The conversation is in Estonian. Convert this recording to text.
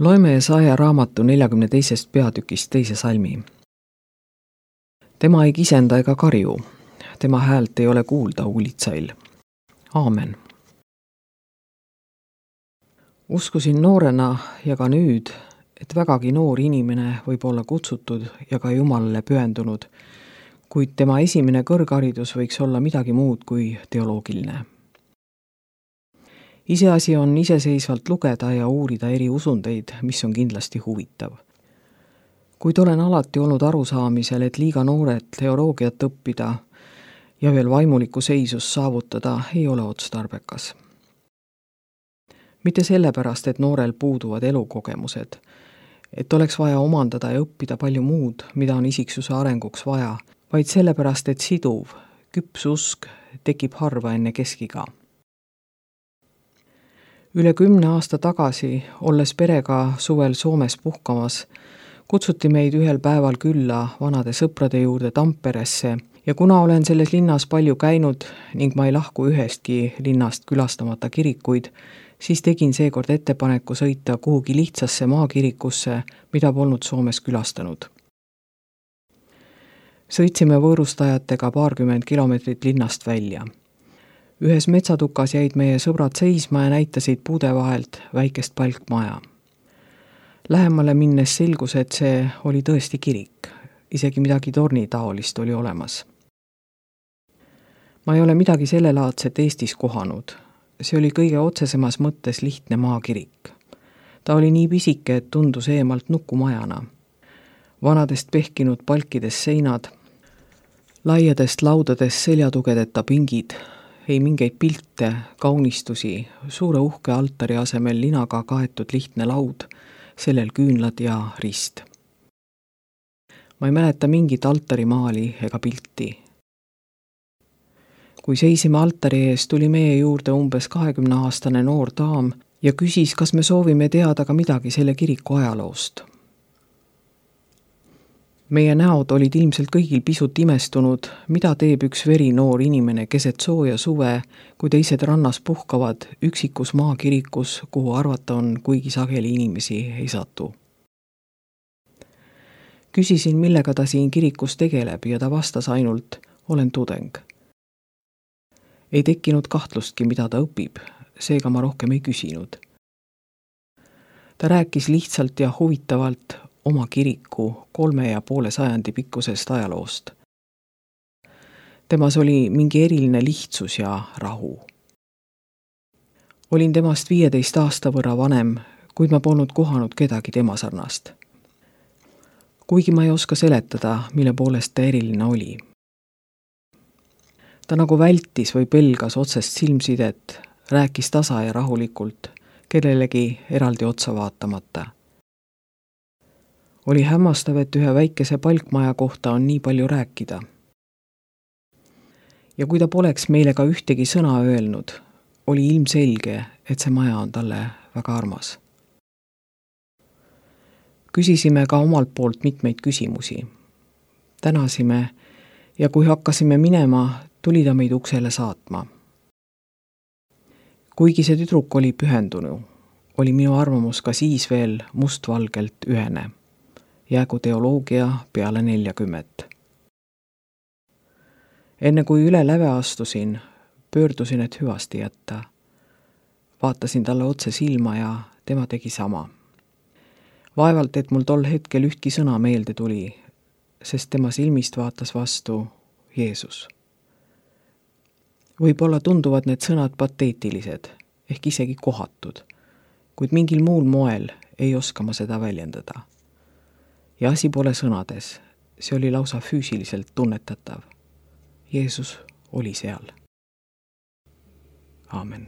Loeme Jesaja raamatu 42. peatükist 2. salmi. Tema ei kisenda ega karju, tema häält ei ole kuulda uulitsail. Aamen. Uskusin noorena ja ka nüüd, et vägagi noor inimene võib olla kutsutud ja ka Jumalale pühendunud, kuid tema esimene kõrgharidus võiks olla midagi muud kui teoloogiline. Iseasi on iseseisvalt lugeda ja uurida eri usundeid, mis on kindlasti huvitav. Kuid olen alati olnud arusaamisel, et liiga noored teoloogiat õppida ja veel vaimulikku seisust saavutada ei ole otstarbekas. Mitte sellepärast, et noorel puuduvad elukogemused, et oleks vaja omandada ja õppida palju muud, mida on isiksuse arenguks vaja, vaid sellepärast, et siduv, küps usk tekib harva enne keskiga. Üle 10 aasta tagasi, olles perega suvel Soomes puhkamas, kutsuti meid ühel päeval külla vanade sõprade juurde Tamperesse ja kuna olen selles linnas palju käinud ning ma ei lahku ühestki linnast külastamata kirikuid, siis tegin seekord ettepaneku sõita kuhugi lihtsasse maakirikusse, mida polnud Soomes külastanud. Sõitsime võõrustajatega 20 kilomeetrit linnast välja. Ühes metsatukas jäid meie sõbrad seisma ja näitasid puude vahelt väikest palkmaja. Lähemale minnes selgus, et see oli tõesti kirik, isegi midagi tornitaolist oli olemas. Ma ei ole midagi sellelaadset Eestis kohanud. See oli kõige otsesemas mõttes lihtne maakirik. Ta oli nii pisike, et tundus eemalt nukumajana. Vanadest pehkinud palkides seinad, laiadest laudadest seljatugedeta pingid, ei mingeid pilte, kaunistusi, suure uhke altari asemel linaga kaetud lihtne laud, sellel küünlad ja rist. Ma ei mäleta mingit altarimaali ega pilti. Kui seisime altari ees, tuli meie juurde umbes 20-aastane noor daam ja küsis, kas me soovime teada ka midagi selle kiriku ajaloost. Meie näod olid ilmselt kõigil pisut imestunud, mida teeb üks verinoor inimene keset sooja suve, kui teised rannas puhkavad üksikus maakirikus, kuhu arvata on, kuigi sageli inimesi ei satu. Küsisin, millega ta siin kirikus tegeleb ja ta vastas ainult, olen tudeng. Ei tekkinud kahtlustki, mida ta õpib, seega ma rohkem ei küsinud. Ta rääkis lihtsalt ja huvitavalt oma kiriku 3,5 sajandi pikkusest ajaloost. Temas oli mingi eriline lihtsus ja rahu. Olin temast 15 aasta võrra vanem, kuid ma polnud kohanud kedagi tema sarnast. Kuigi ma ei oska seletada, mille poolest ta eriline oli. Ta nagu vältis või pelgas otsest silmsidet, rääkis tasa ja rahulikult, kellelegi eraldi otsa vaatamata. Oli hämmastav, et ühe väikese palkmaja kohta on nii palju rääkida. Ja kui ta poleks meile ka ühtegi sõna öelnud, oli ilmselge, et see maja on talle väga armas. Küsisime ka omalt poolt mitmeid küsimusi. Tänasime ja kui hakkasime minema, tuli ta meid uksele saatma. Kuigi see tüdruk oli pühendunu, oli minu arvamus ka siis veel mustvalgelt ühene. Jäägu teoloogia peale 40. Enne kui üle läve astusin, pöördusin, et hüvasti jätta. Vaatasin talle otse silma ja tema tegi sama. Vaevalt, et mul tol hetkel ühtki sõna meelde tuli, sest tema silmist vaatas vastu Jeesus. Võib-olla tunduvad need sõnad pateetilised, ehk isegi kohatud, kuid mingil muul moel ei oska ma seda väljendada. Ja asi pole sõnades, see oli lausa füüsiliselt tunnetatav. Jeesus oli seal. Aamen.